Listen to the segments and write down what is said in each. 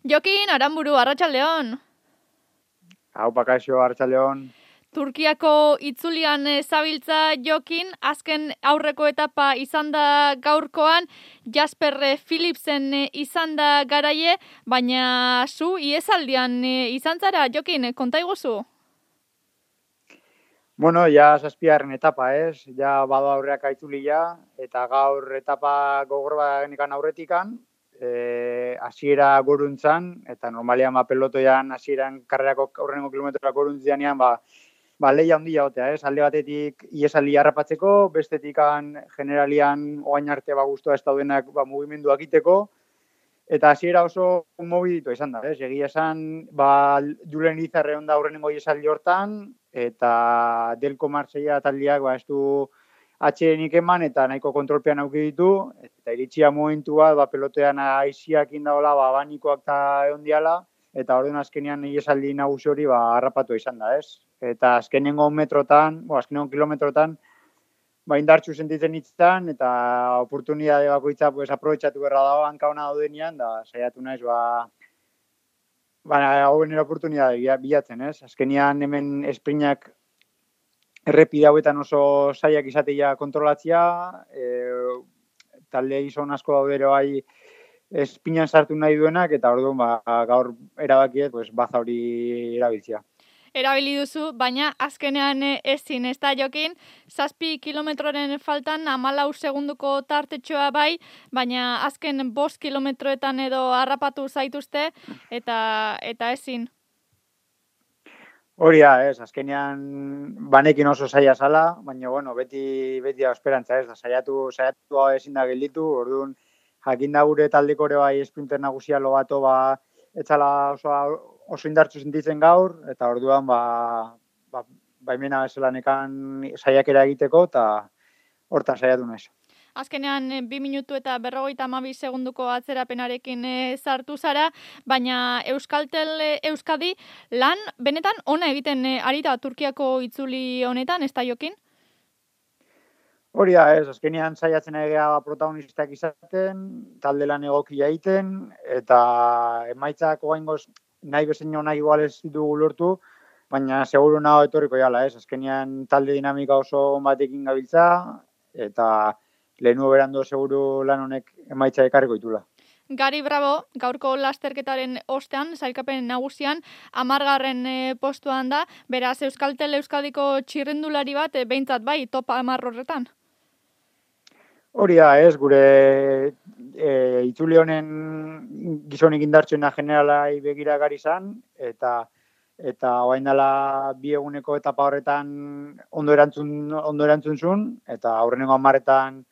Jokin, Aranburu, arratsaldeon. Hau, Pakaixo, arratsaldeon. Turkiako itzulian zabiltza Jokin, azken aurreko etapa izan da gaurkoan, Jasper Philipsen izan da garaie, baina zu iesaldian izan zara, Jokin, konta iguzu? Bueno, ja zazpigarren etapa, ez? Ja bado aurreak itzulia, eta gaur etapa gogor bagenekan aurretikan, hasiera goruntzan, eta normalian pelotoian hasieran karrerako aurrengo kilometroak goruntzianean, lehia handia gotea, ez? Alde batetik iesaldi harrapatzeko, bestetikan generalian oain arte guztua ez daudenak mugimenduak iteko, eta hasiera oso mobiditu izan da, ez? Egia esan, Julen Izarre onda aurrenengo iesaldi hortan, eta Delko Marseilla taldeak ez du atxerenik eman eta nahiko kontrolpean auki ditu, eta iritsia momentu bat, pelotean aiziak indaola, abanikoak eta egon diala, eta orduan azkenean iesaldi nagusi hori harrapatu izan da, ez? Eta azkenengo kilometrotan, indartxu sentitzen hitzan, eta oportunidade bakoitza aprobetxatu berra dago, hanka hona daudenean, da saiatu naiz, hauen oportunidade bilatzen, ez? Azkenean hemen esprinak errepide hauetan oso zaiak izatea kontrolatzea, talde gizon asko daudero espinan sartu nahi duenak, eta orduan gaur erabakiet baza hori erabiltzea. Erabili duzu, baina azkenean ezin, ez da Jokin, 7 kilometroren faltan 14 segunduko tartetxoa bai, baina azken 5 kilometroetan edo harrapatu zaituzte, eta ezin. Hori da, ez, azkenean banekin oso zaila zala, baina bueno, beti da esperantza, ez, da saiatu ezin da gelditu, orduan jakin da gure taldeko ere bai sprinter nagusia lobato etzala oso indartsu sentitzen gaur, eta orduan baimena bezala nekan saiakera egiteko, eta hortan saiatu naiz. Azkenean 2 minutu eta 52 segunduko atzerapenarekin sartu zara, baina Euskaltel Euskadi lan benetan ona egiten ari da Turkiako itzuli honetan, ez da Jokin? Hori da, ez, azkenean saiatzen egea protagonistak izaten, talde lan egokia egiten, eta emaitzak oraingoz nahi bezain nahi igual ez ditugu lortu, baina seguru nago etorriko jala, ez, azkenean talde dinamika oso batekin gabiltza, eta lehenu berando seguru lan honek emaitza ekarriko ditula. Gari Bravo, gaurko lasterketaren ostean, sailkapen nagusian, 10. postuan da, beraz Euskaltel Euskadiko txirrindulari bat, behintzat bai, top 10 horretan. Hori da, ez, gure itzuli honen gizonik indartsuena generalai begira gari izan, eta orain dela 2 eguneko etapa horretan ondo erantzun zuen, eta aurrenengo 10etan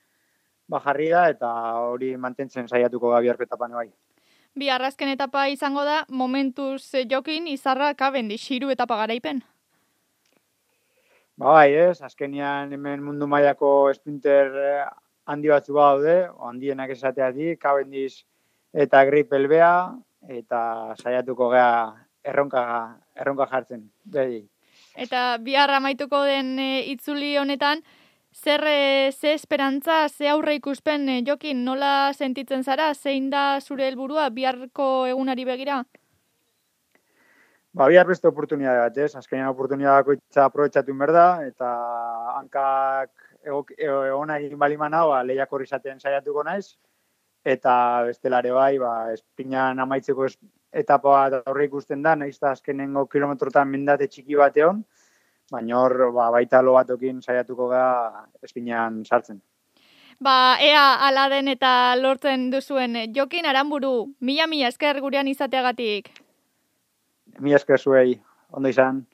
jarri da, eta hori mantentzen saiatuko gabiarko etapan bai. Bihar azken etapa izango da, momentuz Jokin, Izarra, Cavendish, 3 etapa garaipen. Bai, ez, azkenean hemen mundu mailako sprinter handi batzu daude, handienak esateatik, Cavendish eta Greipel bea, eta saiatuko gea erronka jartzen. Bedi. Eta bihar amaituko den itzuli honetan, ze esperantza, ze aurre ikuspen, Jokin, nola sentitzen zara, zein da zure helburua biharko egunari begira? Bihar beste oportunidade bat, ez? Azkenean oportunidade bakoitza aprobetxatu berda, eta hankak ona egin balimana, lehiak horri izaten saiatuko naiz, eta bestelare bai, espinan amaitzeko etapa bat aurre ikusten da, nahiz eta azkenengo kilometrotan mendate txiki bat egon, baina hor baita lo batokin saiatuko ga espinan sartzen. Ea ala den eta lortzen duzuen. Jokin, Aranburu, mila esker gurean izateagatik. Mila esker zuei, ondo izan.